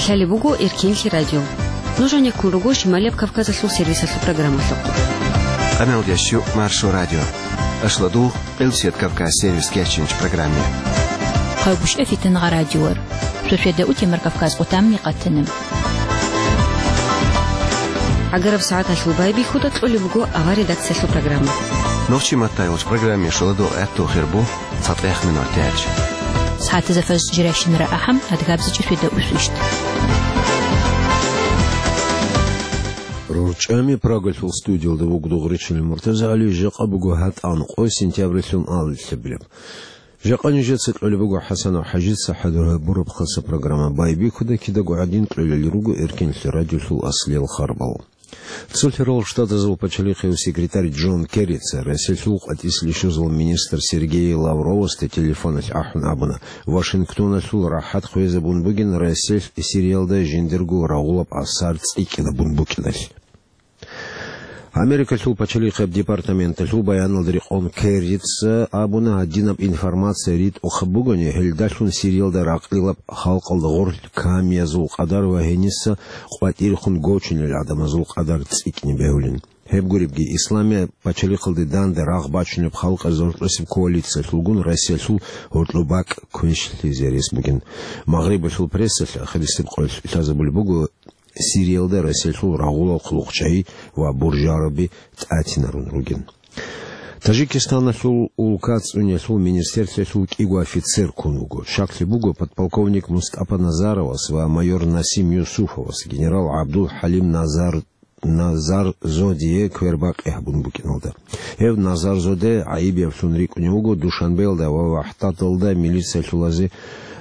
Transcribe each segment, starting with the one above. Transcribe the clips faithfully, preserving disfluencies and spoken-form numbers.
Лъалеб буго Эркенлъи радио. Нуж гьанеккун руго Шималияб Кавказалъул сервисалъул программалъухъ. Къаналдящу Маршо радио. Ашладу Къилсият Кавказ сервис кечинч программе. Къавбуш эфитан гъа радиор. Шошведа утемар Кавказ къутамни къатана. Агараб сагӀаталъул байбихьуда кьолеб буго авар редакциялъул программа. Нохчи маттайолч программе шоладо гӀатту хирбу. ЦатӀехъ минут тяч. СагӀатазда фаз жиращинара ахӀам, адгабзичӀ шведа усвищт. РорчӀами Прагалъул студиялда вугдугъричил МуртазагӀали, жакъа буго гьатӀан къо сентябрилъун алилъабилеб. Жакъа нижеца кьолеб буго ХӀасанов ХӀажица хӀадур гьабураб хаса программа. Байбихьуда кидаго гӀадин кьолел руго Эркенлъи радиолъул аслиял харбал. Цо лъерал Штатазул пачалихъев секретарь Джон Керрица Россиялъул къватӀислъи щвезал министр Сергей Лавровасда телефоналъ ахӀун абуна, Вашингтоналъул рахӀат хвезабун бугин Россиялъ Сириялда жиндирго рагъулаб асар цӀикӀкӀинабун букӀиналъ. Америкалъул пачалихъеб департаменталъул баяналда рекъон Керрица абуна, гьадинаб информация ритӀухъаб бугони, гьелдалъун Сириялда ракълилаб халкъалда гъорлъ камиязул къадар ва гьениса къватӀирехун гочунел гӀадамазул къадар цӀикӀкӀине бегьулин. Гьеб гуребги, Исламияб пачалихъалде данде рагъ бачунеб халкъазул гьоркьосеб коалициялъулгун Россиялъул гьоркьоб бакӀ квешлъизе рес бугин. Магърибалъул прессалъ ахирисеб къоялъ лъазабулеб буго, Сириялда Россиялъул рагъулал хъулухъчагьи ва буржараби тӀатинарун ругин. Тажикистаналъул улка цӀуниялъул министрлъиялъул кӀиго офицер ккун вуго. Щаклъи буго подполковник Мустапа Назаровас ва майор Насим Юсуфовас, генерал ГӀабдул-ХӀалим Назар-, Назарзодие квербакъи гьабун букӀиналда. Гьев Назарзоде гӀайиб яблъун рикӀкӀунев вуго Душанбеялда ва ВахӀдаталда милициялъулазе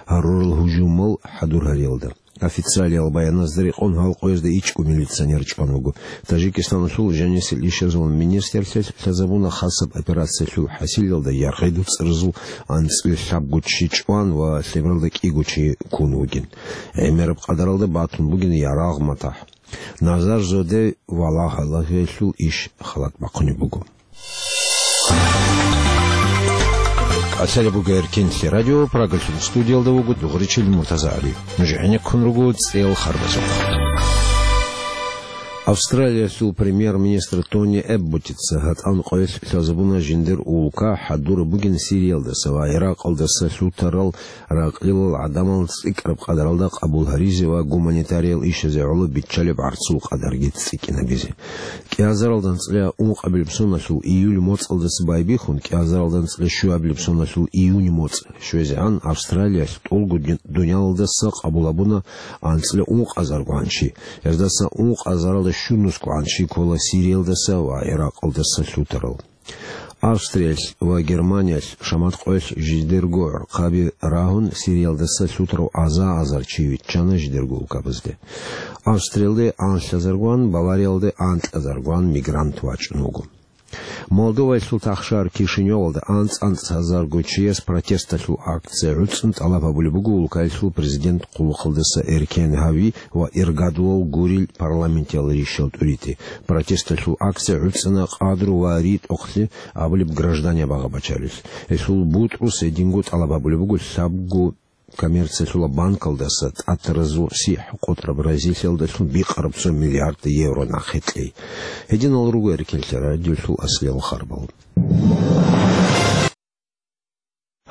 гьарурал гьужумал хӀадур гьариялда. Официалиял баяназда рекъон гьал къоязда ичӀго милиционер чӀван вуго. Тажикистаналъул жанисел ишазул министрлъиялъ лъазабуна хасаб операциялъул хӀасилалда яргъи-дуцӀразул анцӀила лъабго чи чӀван ва лъебералда кӀиго чи ккун вугин. ГӀемераб къадаралда батун бугин ярагъ-матахӀ. Назарзоде ва лагьалъулъ иш халат бахъунеб буго. Лъалеб буго Эркенлъи радио, Прагалъул студиялда вуго дугъричил МуртазагӀали. Нуж гӀенеккун руго цӀел харбазухъ. Австралиялъул премьер-министр Тони Эбботица гьатӀан къоялъ лъазабуна жиндир улка хӀадураб бугин Сириялдаса ва Иракъалдаса лъутарал ракълилал гӀадамал цӀикӀкӀараб къадаралда къабул гьаризе ва гуманитариял ишазе гӀоло биччалеб гӀарцул къадарги цӀикӀкӀинабизе. КӀиазаралда анцӀила ункъабилеб соналъул июль моцӀалдаса байбихьун, кӀиазаралда анцӀила щуабилеб соналъул июнь моцӀ щвезегӀан Австралиялъ тӀолго дун-, дуниялалдаса къабул гьабуна анцӀила ункъазаргогӀан чи. Гьездаса ункъазаралда щунусгогӀан чи ккола Сириялдаса ва Иракъалдаса лъутарал. Австриялъ ва Германиялъ шамат къоялъ жидерго гӀурхъаби рагьун, Сириялдаса лъутарав аза-азар чи виччана жидерго улкабазде. Австриялде анлъазаргван, Бавариялде анкьазаргван мигрант вачӀун вуго. Молдоваялъул тахшар Кишиневалда анцӀ-анцӀазарго чияс протесталъул акция гӀуцӀун тӀалаб гьабулеб буго улкаялъул президент хъулухъалдаса Эркен Гьави ва иргадулал гурел парламентиял ришал тӀурити. Протесталъул акция гӀуцӀана къадру ва ритӀухълъи абулеб гражданиял багъа-бачарилъ. Гьелъул бутӀрус гьединго тӀалаб гьабулеб буго лъабго коммерциялъула банкалдаса тӀатаразул сихӀ къотӀраб разилъиялдалъун бикъараб цо миллиард евро нахъе кьей. Гьединал руго Эркенлъи радиолъул аслиял харбал.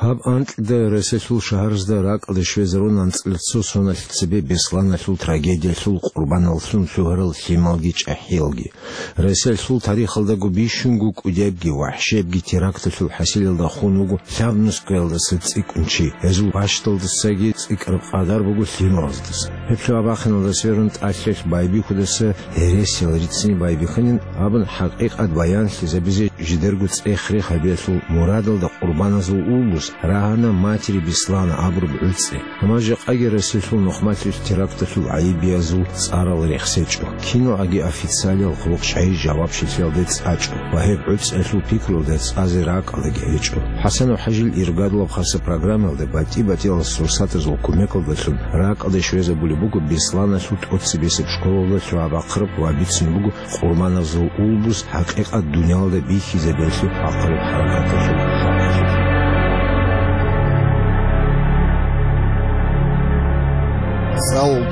Гьаб анкьида Россиялъул шагьаразда ракӀалде щвезарун анцӀила цо соналъ цебе Бесланалъул трагедиялъул къурбаналлъун лъугьарал лъималги чӀахӀиялги. Россиялъул тарихалдаго бищунго кӀудебги вахӀшебги теракталъул хӀасилалда хун вуго лъабнускаялдаса цӀикӀкӀун чи. Гьезул бащдалдасаги цӀикӀкӀараб къадар буго лъималаздаса. Гьеб лъугьа-бахъиналда сверун тӀалъалъ байбихьудаса гьересиял рицин байбихьанин абун хӀакъикъат баянлъизабизе жидерго цӀех-рех гьабиялъул мурадалда къурбаназул улбус рагьана «Матери Беслана» абураб гӀуцӀи. Амма жакъаги Россиялъул нухмалъулъ теракталъул гӀайибиязул цӀарал рехсечӀо. КиногӀаги официалиял хъулухъчагьи жавабчилъиялде цӀачӀо ва гьеб гӀуцӀиялъул пикруялда цӀазе ракӀалаги гьечӀо. ХӀасанов ХӀажил иргадулаб хаса программаялда батӀи-батӀиял сурсатазул кумекалдалъун ракӀалде щвезабулеб буго Бесланалъул тӀоцебесеб школалда лъугьа-бахъараб ва бицунеб буго къурбаназул улбус хӀакъикъат дуниялалда бихьизабиялъе ахъараб хӀаракаталъул.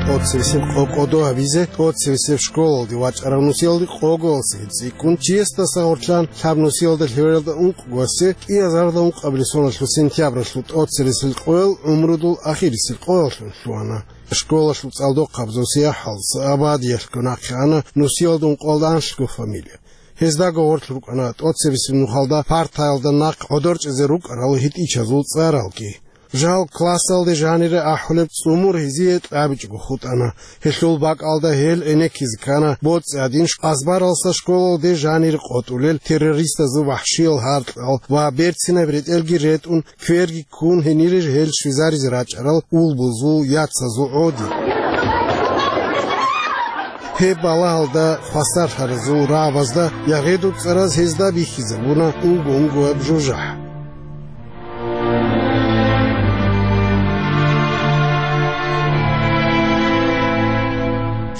ТӀоцебесеб къо-, кӀодо гьабизе, тӀоцебесеб школалде вачӀарав нусиялде къогоялдаса гьеб цӀикӀкӀун, чиясдаса гъорлъан лъаб нусиялда лъебералда ункъго гьасе, кӀиазарда ункъабилеб соналъул сентябралъул тӀоцересел къоял гӀумрудул ахирисел къояллъун лъугьана. Школалъул цӀалдохъабазул сияхӀалдаса Абадиялъго нахъе ана нусиялда ункъоялда анлъго фамилия. Гьездаго гъорлъ рукӀана тӀоцебесеб нухалда партаялда нахъ гӀодор чӀезе рукӀарал гьитӀинчазул цӀаралги. Жал классалде жанире ахӀулеб цӀумур гьезие кьабичӀого хутӀана. Гьелъул бакӀалда гьел гӀенеккизе ккана боцӀи гӀадин, азбаралдаса школалде жанире къотӀулел террористазул вахӀшиял гьаркьал ва берцинаб ретӀелги ретӀун, кверги ккун, гьенире гьел щвезаризе рачӀарал улбузул, яцазул гӀодин. Гьеб балагьалда хвасарлъаразул рагӀабазда ЯгъедуцӀараз гьезда бихьизабуна унго-унгояб жужахӀ.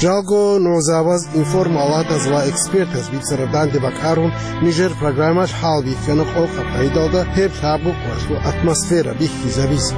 Жалго нугӀзабаз, информалатаз ва экспертаз бицараб данде бакӀарун, нижер программалъ хӀалбихьана къокъаб гӀидалда гьеб лъабго къоялъул атмосфера бихьизабизе.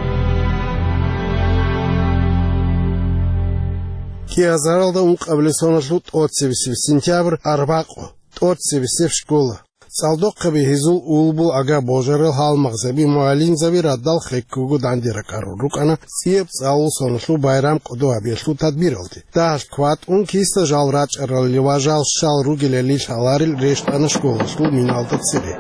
КӀиазаралда ункъабилеб соналъул тӀоцебесеб сентябрь, арбакъо, тӀоцебесеб школа. ЦӀалдохъаби гьезул улбул, ага-божарал, гьалмагъзаби, мугӀалимзаби радал хеккого данде ракӀарун рукӀана цӀияб цӀалул соналъул байрам кӀодо гьабиялъул тадбиралде. Дагьалъ кватӀун киса жал рачӀаралли ва жал щал ругелали лъаларел рещтӀана школалъул миналда цере.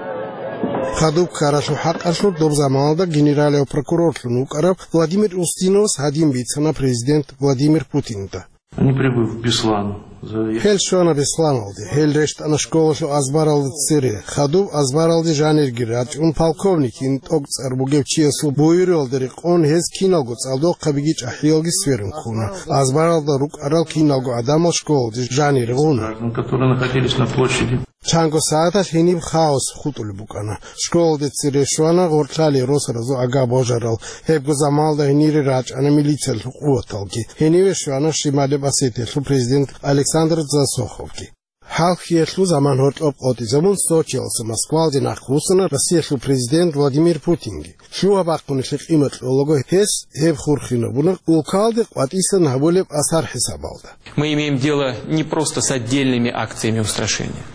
Хадуб ккаралъул хӀакъалъулъ доб заманалда генералияв прокурорлъун вукӀарав Владимир Устиновас гьадин бицана президент Владимир Путинда. Они прибыв в Беслан, за- Гьел щвана Бесланалде. Гьел рещтӀана школалъул азбаралда цере. Хадуб азбаралде жанирги рачӀун, полковникин тӀокӀцӀар бугев чиясул буюралда рекъон, гьез киналго цӀалдохъабиги чӀахӀиялги сверун ккуна. Азбаралда рукӀарал киналго гӀадамал школалде жанире гъуна. Граждан, которые находились на площади. Чанго сагӀаталъ гьениб хаос хутӀулеб букӀана. Школалде цере щвана гъоркьлъалие росаразул ага-божарал. Гьебго заманалда гьенире рачӀана милициялъул къуваталги. Гьениве щвана Шималеб Осетиялъул президент Александр Дзасоховги. ХӀалхьиялъул заман гьоркьоб къотӀизабун, Сочиялдаса Москвалде нахъвуссана Россиялъул президент Владимир Путинги. Лъугьа-бахъуналъе къимат кьолаго гьес гьеб хурхинабуна улкалде къватӀисан гьабулеб асар хӀисабалда. Мы имеем дело не просто с отдельными акциями устрашения,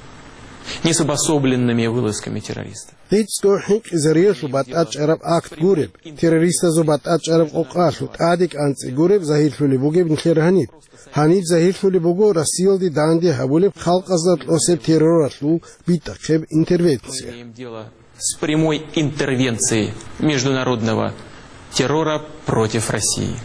не с обособленными вылазками террористов. ГӀицӀго хӀинкъизариялъул батӀачӀараб акт гуреб, террористазул батӀачӀараб къокъалъул тӀаде кӀанцӀи гуреб загьирлъулеб бугеб нилъер гьаниб. Гьаниб загьирлъулеб буго Россиялде данде гьабулеб халкъазда кьосеб терроралъул битӀахъеб интервенция. Мы имеем дело с прямой интервенцией международного террора против России.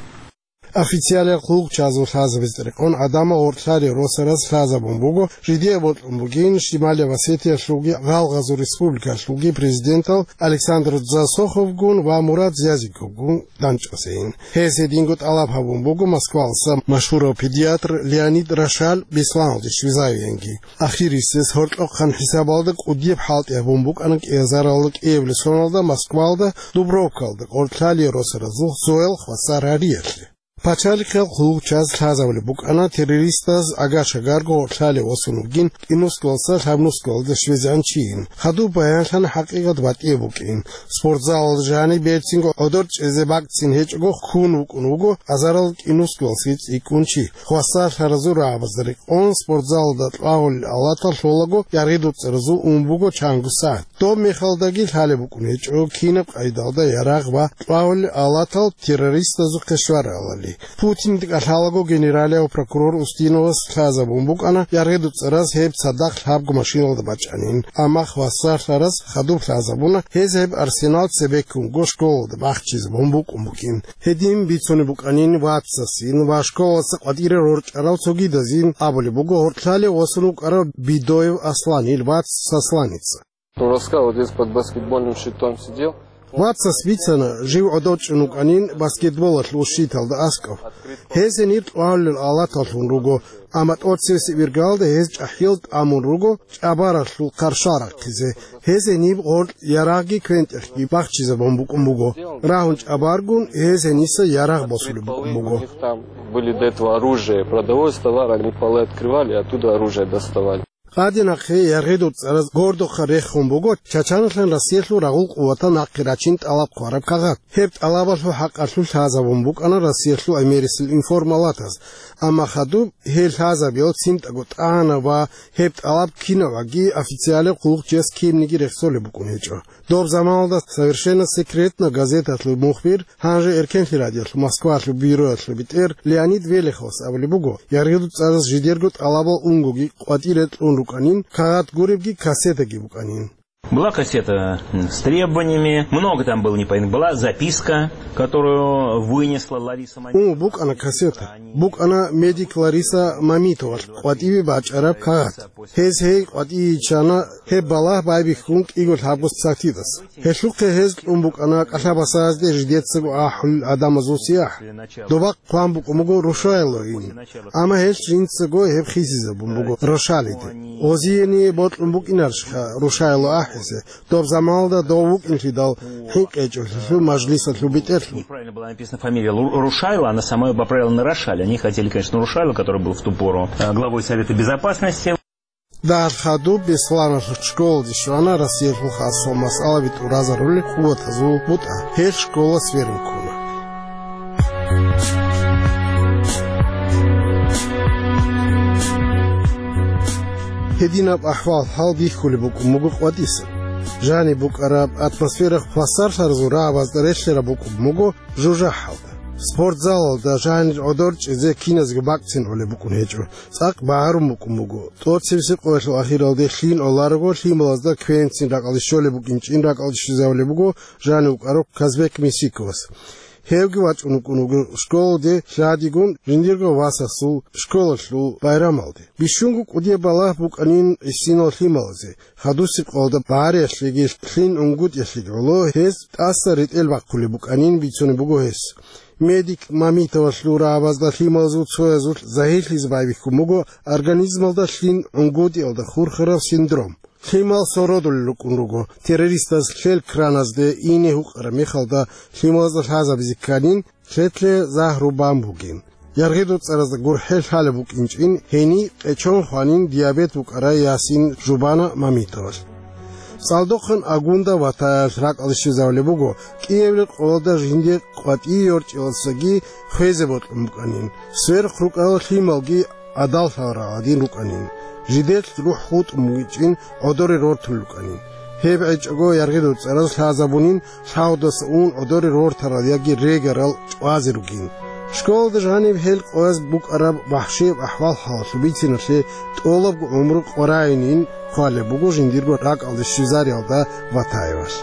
Официалиял хъулухъчазул лъазабизе рекъон гӀадамал гъоркьлъалие росараз лъазабун буго, жидее бокьун бугин Шималия Осетиялъулги Гъалгъазул республикалъулги президентал Александр Дзасоховгун ва Мурад Зязиковгун данчӀвасейин. Гьез гьединго тӀалаб гьабун буго Москвалдаса машгьурав педиатр Леонид Рошаль Бесланалде щвезавиянги. Ахирисез гьоркьохъан хӀисабалда кӀудияб хӀалтӀи гьабун букӀана кӀиазаралда кӀиабилеб соналда Москвалда Дубровкалда гъоркьлъалие росаразул цоял хвасар гьариялъе. Пачалихъал хъулухъчаз лъазабулеб букӀана террористаз ага-шагарго гъоркьлъалие восун вугин КӀинусгоялдаса Лъабнусгоялде щвезегӀан чийин. Хадуб баянлъана хӀакъикъат батӀияб букӀин. Спортзалалда жаниб берцинго гӀодор чӀезе бакӀцин гьечӀого хьун вукӀун вуго азарал КӀинусгоялдасаги цӀикӀкӀун чи. Хвасарлъаразул рагӀабазда рекъон спортзалалда кьвагьулел алатал лъолаго яргъи-дуцӀаразул ун буго чанго сагӀат. Доб мехалдаги лъалеб букӀун гьечӀо кинаб къайдалда ярагъ ва кьвагьулел алатал террористазухъе щваралали. Путинда кӀалъалаго генералияв прокурор Устиновас лъазабун букӀана яргъи-дуцӀараз гьеб цадахъ лъабго машиналда бачӀанин, амма хвасарлъараз хадуб лъазабуна гьез гьеб арсенал цебеккунго школалда бахчизабун букӀун бугин. Гьедин бицунеб букӀанин вацасин ва школалдаса къватӀире рорчӀарал цогидазин абулеб буго гьоркьлъалие восун вукӀарав Бидоев Аслан, ил вац Сосланица. Он рассказывал, вот здесь под баскетбольным щитом сидел. Вацас бицана, жив гӀодов чӀун вукӀанин баскетболалъул щиталда аскӀоб. Гьез гьенир кьвагьулел алаталлъун руго, амма тӀоцевесеб иргалда гьез чӀахӀиял тӀамун руго чӀабаралъул хъаршал рахъизе. Гьез гьениб гъоркь ярагъги квен-тӀехги бахчизабун букӀун буго. Рагьун чӀабаргун, гьез гьениса ярагъ босулеб букӀун буго. У них там были до этого оружие, продовольственный товар, они полы открывали, оттуда оружие доставали. Гьадин нахъе яргъидул цӀараз гордохъа рехун буго Чачаналъан Россиялъул рагъул къуватал нахъе рачин тӀалаб хъвараб кагъат. Гьеб тӀалабалъул хӀакъалъулъ лъазабун букӀана Россиялъул гӀемерисел информалатаз, амма хадуб гьел лъазабиялъ цинтӀаго тӀана ва гьеб тӀалаб кинаваги официалаб хъулухъ чияс кинниги рехсолеб букӀун гьечӀо. Доб заманалда «Совершенно секретно» газеталъул мухбир, гьанже Эркенлъи радиоялъул Москвалъул бюроялъул бетӀер Леонид Велиховас абулеб буго, яргъидул цӀараз жидерго тӀалабал унгоги къватӀир рекьун рукӀанин, кагъат гуребги кассетаги букӀанин. Была кассета, м, с требованиями, много там было непонятно. Была записка, которую вынесла Лариса Мамитова. Ун букӀана кассета. БукӀана медик Лариса Мамитовалъ къватӀиве бачӀараб кагъат. Гьез гьей къватӀиве йиччана, гьеб балагь байбихьун кӀиго лъабго сагӀатидаса. Гьелъухъе гьез кьун букӀана кӀалъабасазде жидецаго ахӀулел гӀадамазул сияхӀ. Добахъ хъван букӀун буго Рушайлоин, амма гьелъ жинцаго гьеб хисизабун буго Рошалиде. Гъозиение бокьун букӀинарищха Рушайло ахӀизе, доб заманалда дов вукӀинлъидал хӀинкъичӀолъулъул мажлисалъул бетӀерлъун? Неправильно была написана фамилия Лу-, Рушайла, она сама её поправила на Рошаль. Они хотели, конечно, Рушайла, который был в ту пору, э, главой Совета Безопасности. Дагьал хадуб Бесланалъул школалде щвана Россиялъул хасал масъалаби тӀуразарулел къуватазул бутӀа. Гьел школа сверун ккуна. Гьединаб ахӀвал-хӀал бихьулеб букӀун буго къватӀисан. Жаниб букӀараб атмосфера хвасарлъаразул рагӀабазда релълъараб букӀун буго жужахӀалда. Спортзалалда жанир гӀодор чӀезе киназго бакӀцин гӀолеб букӀун гьечӀо. ЦӀакъ багӀарун букӀун буго. ТӀоцебесеб къоялъул ахиралде лъим гӀоларого, лъималазда квенцин ракӀалде щолеб букӀинчӀин ракӀалде щвезавулеб буго жанив вукӀарав Казбек Мисиковас. Гьевги вачӀун вукӀун вуго школалде лъадигун жиндирго васасул школалъул байрамалде. Бищунго кӀудияб балагь букӀанин гӀисинал лъималазе. Хадусеб къоялда багӀариялъеги лъим унгутӀиялъеги гӀоло гьез тӀаса ретӀел бахъулеб букӀанин бицунеб буго гьес. Медик Мамитовалъул рагӀабазда лъималазул цоязулъ загьирлъизе байбихьун буго организмалда лъим унгутӀиялда хурхараб синдром. Лъимал сородулел рукӀун руго, террористаз лъел краназде ине гьукъараб мехалда лъималазда лъазабизе кканин, лъелъе загьру бан бугин. ЯргъидулцӀаразда гурхӀел лъалеб букӀинчӀин, гьениб къечон хванин диабет букӀарай ясин жубана Мамитовалъ. ЦӀалдохъан Агунда ватаялъ ракӀалде щвезавулеб буго, кӀиабилеб къоялда жинде къватӀие йорчӀилалдасаги хвезе бокьун букӀанин, сверухъ рукӀарал лъималги гӀадаллъарал гӀадин рукӀанин, жидер рухӀ хутӀун бугичӀин гӀодоре рортулел рукӀанин. Гьеб гӀечӀого яргъидулцӀараз лъазабунин, лъагьудаса ун гӀодоре рортарал яги регарал чӀвазе ругин. Школалда жаниб гьел къояз букӀараб вахӀшияб ахӀвал-хӀалалъул бициналъе тӀолабго гӀумру къваригӀунин хъвалеб буго жиндирго ракӀалде щвезариялда Ватаевалъ.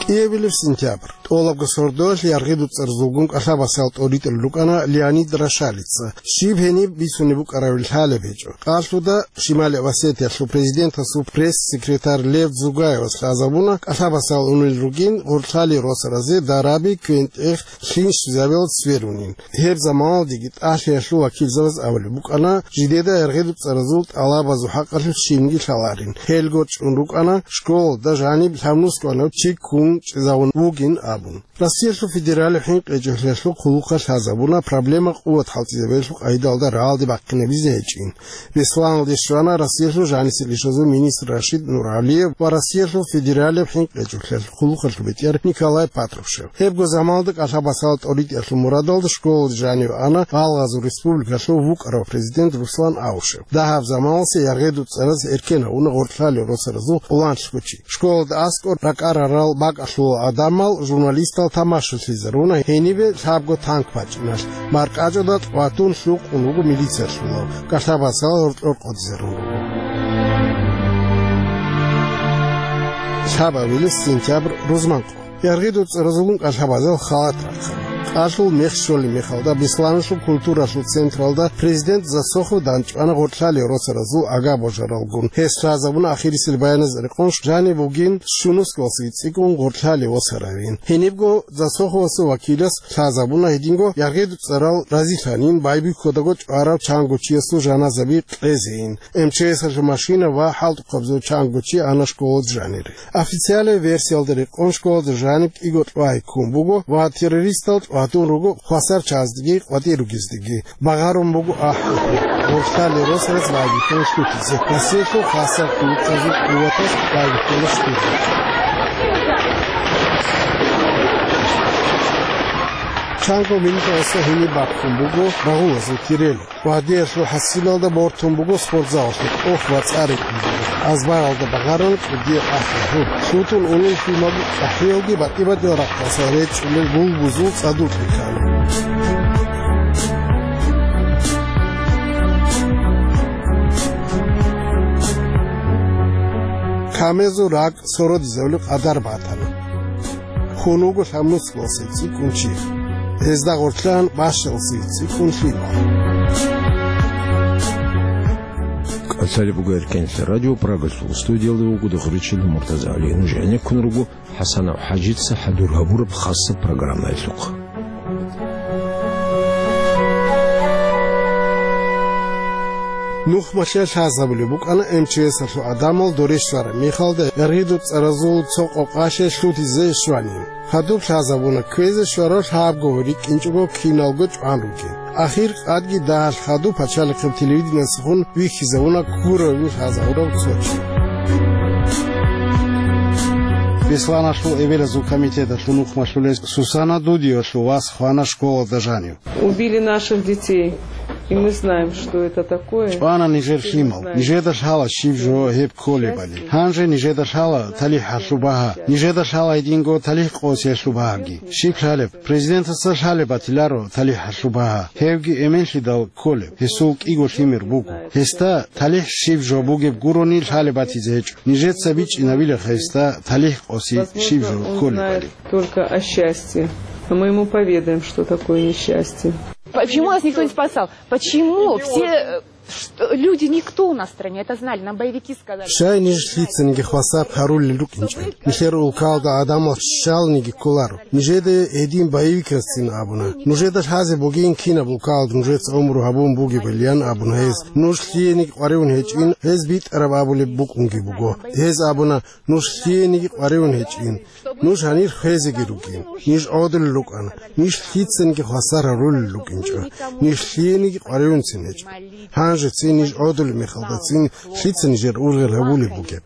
КӀиабилеб сентябрь. ТӀолабго сордоялъ яргъидулцӀаразулгун кӀалъабасал тӀоритӀулел рукӀана Леонид Рошалица. Щиб гьениб бицунеб букӀаравилан лъалеб гьечӀо. Къалъуда Шимали Осетиялъул президентасул пресс-секретарь Лев Дзугаевас лъазабуна, кӀалъабасал унел ругин гъоркьлъалие росаразе дараби, квен-тӀех, лъим щвезабиялда сверунин. Гьеб заманалдеги ТӀалъиялъул вакилзабаз абулеб букӀана, жидеда яргъидулцӀаразул тӀалабазул хӀакъалъулъ щибниги лъаларин. Гьелго чӀун рукӀана, школалда жаниб лъабнусго ванав чи ккун чӀезавун вугин абун. Россиялъул федералияб хӀинкъичӀелъиялъул хъулухъалъ лъазабуна проблема къуват хӀалтӀизабиялъул къагӀидалда рагӀалде бахъинабизе гьечӀин. Бесланалде щвана Россиялъул жанисел ишазул министр Рашид Нуралиев ва Россиялъул федералияб хӀинкъичӀелъиялъул хъулухъалъул бетӀер Николай Патрушев. Гьебго заманалда кӀалъабасал тӀоритӀиялъул мурадалда школалде жанив ана Гъалгъазул республикалъул вукӀарав президент Руслан Аушев. Дагьаб заманалъе яргъидулцӀараз эркен гьавуна гъоркьлъалие росаразул пуланлъго чи. Школалда аскӀор ракӀарарал бакӀалъул гӀадамал, журналистал тамашалъизаруна гьенибе лъабго танк бачӀиналъ, маркӀачӀуда тӀватун лъукъун вуго милициялъулав, кӀалъабасал гьоркьор къодизарун руго. Лъабабилеб сентябрь, рузман къо. ЯргъидулцӀаразулгун кӀалъабазал халат рахъана. Къалъул мех щолеб мехалда, Бесланалъул культуралъул централда президент Засохов данчӀвана гъоркьлъалев росаразул агар божаралгун. Гьес лъазабуна ахирисел баяназ рекъон жаниб бугин щунусгалъуй цӀикӀкӀун гъоркьлъалев росаравин. Гьенибго Засоховасул вакилас лъазабуна гьединго яргъиду цӀарал разилъанин байбихьодаго чӀварав чангочиясул жаназаби кьезейин. М Ч С-алъул машина ва хӀалтӀухъабазул чангочи ана школалда жанире. Официалияб версиялда рекъон школалда жаниб кӀиго кьвай ккун буго ва террористал тӀватун руго хвасар чаздеги къватӀир ругездеги. Багъарун буго ахӀи. Гъоркьлъалев росараз байбихьула лъутизе. Россиялъул хасар хъулухъазул къуваталъ байбихьула лъутизе. Чанго минуталъа гьениб бахъун буго рагъулазул кирел. Гьадиялъул хӀасилалда бортун буго спортзалалъул тӀох ва цӀар рекӀелъул. Азбаралда багъарун кӀудияб ахӀи-гьу. Лъутун унел лъимал ахӀиялги батӀи-батӀиял рахъалъа речӀчӀулел гулбузул цӀадулъ бихьана. Камезул ракӀ сородизабулеб къадар батана. Хун вуго лъабнусгалъуй цӀикӀкӀун чи. Гьезда гъоркьан бащалъуй цӀикӀкӀун лъимал. КӀалъалеб буго Эркенлъа радио, Прагалъул студиялда вуго Дохричил Муртазагьали. Нуж гӀенеккун руго ХӀасанов ХӀажица хӀадур гьабураб хасаб программаялъухъ. Нухмалъе лъазабулеб букӀана М Ч С-алъул гӀадамал доре щвараб мехалда яргъиду цӀаразул цо къокъалъе лъутизе щванин. Хадуб лъазабуна кквезе щварав лъабго рикӀкӀинчӀого киналго чӀван ругин. Ахир къадги дагьалъ хадуб пачалихъеб телевидениялдасухъун вихьизавуна ккуравин лъазабурав цо чи. Бесланалъул эбелазул комитеталъул нухмалъулес Сусана Дудиевалъул вас хвана школалда жанив. Убили наших детей, и мы знаем, что это такое. ЧӀвана нижер лъимал. Нижеда лъала щиб жо гьеб кколебали. Гьанже нижеда лъала талихӀалъул багьа. Нижеда лъала гьединго талихӀ къосиялъул багьаги. Щиб лъалеб? Президентасда лъалеб батиларо талихӀалъул багьа. Гьевги эменлъидал кколеб. Гьесул кӀиго лъимер буго. Гьесда талихӀ щиб жо бугеб гурони лъалеб батизе гьечӀо. Нижеца бичӀчӀинабила гьесда талихӀ къоси щиб жо кколебали. Только о счастье. А мы ему поведаем, что такое несчастье. Почему нас никто не спасал? Почему все, э, что, люди, никто у нас в стране это знали, нам боевики сказали. Щай ниж лъицаниги хвасар гьарулел рукӀинчӀел? Нилъер улкалда гӀадамал щалниги кколаро. Нижеда гьедин боевикасцин абуна. Нужеда лъазе бугин кинаб улкалда нужеца гӀумру гьабун бугебали, ян абуна гьез. Нуж лъиениги къваригӀун гьечӀин, гьез битӀараб абулеб букӀунги буго. Гьез абуна, нуж лъиениги къваригӀун гьечӀин. Нуж гьанир хвезеги рукӀин. Ниж гӀодулел рукӀана. Ниж лъицаниги хвасар гьарулел рукӀинчӀо. Ниж лъиениги къваригӀунцин гьечӀо. Гьанжецин ниж гӀодулеб мехалдацин лъица нижер ургъел гьабулеб бугеб?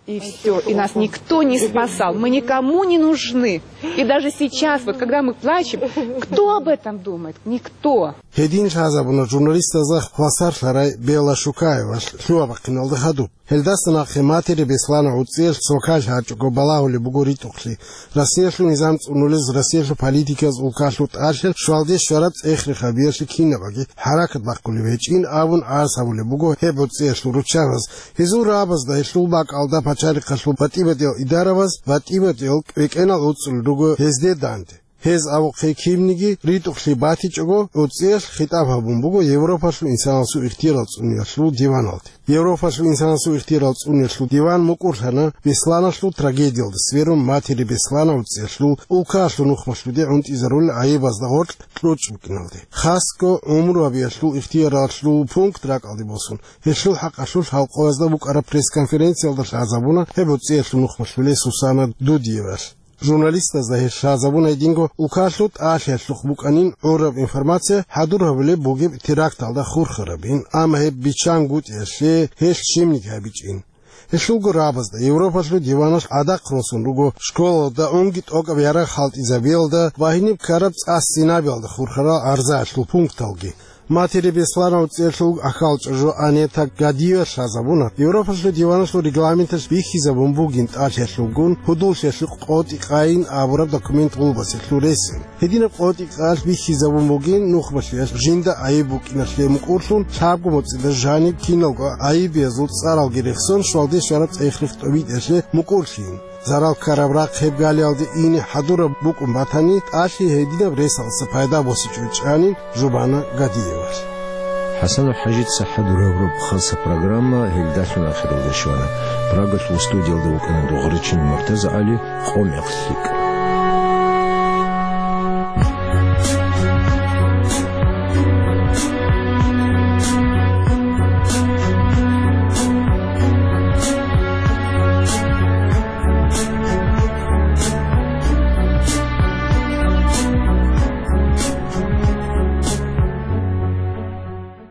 И все, и нас никто не спасал. Мы никому не нужны. И даже сейчас, вот когда мы плачем, кто об этом думает? Никто. Гьедин лъазабуна журналистазда хвасарлъарай Белла Шукаевалъ лъугьа-бахъиналда хадуб. Гьелдаса нахъе Матери Беслана гӀуцӀиялъ цо ккалъ гьачӀого балагьулеб буго ритӀухълъи. Россиялъул низам цӀунулез, Россиялъул политикаяз улкалъул тӀалъи, щвалде щвараб цӀех-рехабиялъе кинабаги хӀаракат бахъулеб гьечӀин абун гӀарз гьабулеб буго гьеб гӀуцӀиялъул руччабаз. Гьезул рагӀабазда гьелъул бакӀалда пачалихъалъул батӀи-батӀиял идараваз батӀи-батӀиял кӀвекӀенал гӀуцӀулел руго гьезде данде. Гьез абухъе кинниги ритӀухълъи батичӀого, гӀуцӀиялъ хитӀаб гьабун буго Европалъул инсанасул ихтиярал цӀуниялъул диваналде. Европалъул инсанасул ихтиярал цӀуниялъул диван мукӀурлъана Бесланалъул трагедиялда сверун Матери Беслана гӀуцӀиялъул улкаялъул нухмалъуде гӀунтӀизарулел гӀайибазда гъоркь кьучӀ букӀиналде. Хасго гӀумру гьабиялъул ихтияралъул пункт ракӀалде босун, гьелъул хӀакъалъулъ халкъоязда букӀараб пресс-конференциялда лъазабуна гьеб гӀуцӀиялъул нухмалъулей Сусана Дудиевалъ. Журналистазда гьелъ лъазабуна гьединго улкалъул тӀалъиялъухъ букӀанин гӀураб информация хӀадур гьабулеб бугеб теракталда хурхарабин, амма гьеб биччан гутӀиялъе гьелъ щибниги гьабичӀин. Гьелъулго рагӀабазда Европалъул диваналъ гӀадахъ росун руго школалда унги тӀокӀаб ярагъ хӀалтӀизабиялда ва гьениб ккараб цӀа-стенабиялда хурхарал гӀарзаялъул пункталги. Матери Беслана гӀуцӀиялъул ахалчӀа жо Анета Гадиевалъ лъазабуна, Европалъул диваналъул регламенталъ бихьизабун бугин тӀалъиялъулгун гьудуллъиялъе къотӀи къайин абураб документ гъулбасиялъул ресин. Гьединаб къотӀи къаялъ бихьизабун бугин нухмалъиялъ жинда гӀайиб букӀиналъе мукӀурлъун лъабго моцӀида жаниб киналго гӀайибиязул цӀаралги рехсон щвалде щвараб цӀех-рех тӀобитӀиялъе мукӀурлъин. Зарал ккараб рахъ гьеб галиялде ине хӀадураб букӀун батани, тӀалъи гьединаб ресалдаса пайда босичӀо, чӀанин жубана Гадиевас. ХӀасанов ХӀажица хӀадураб рукъ хасаб программа гьелдалъун ахиралде щвана. Прагалъул студиялда вукӀана Дугъричин МуртазагӀали, «Къо-мекъ лъикӀ».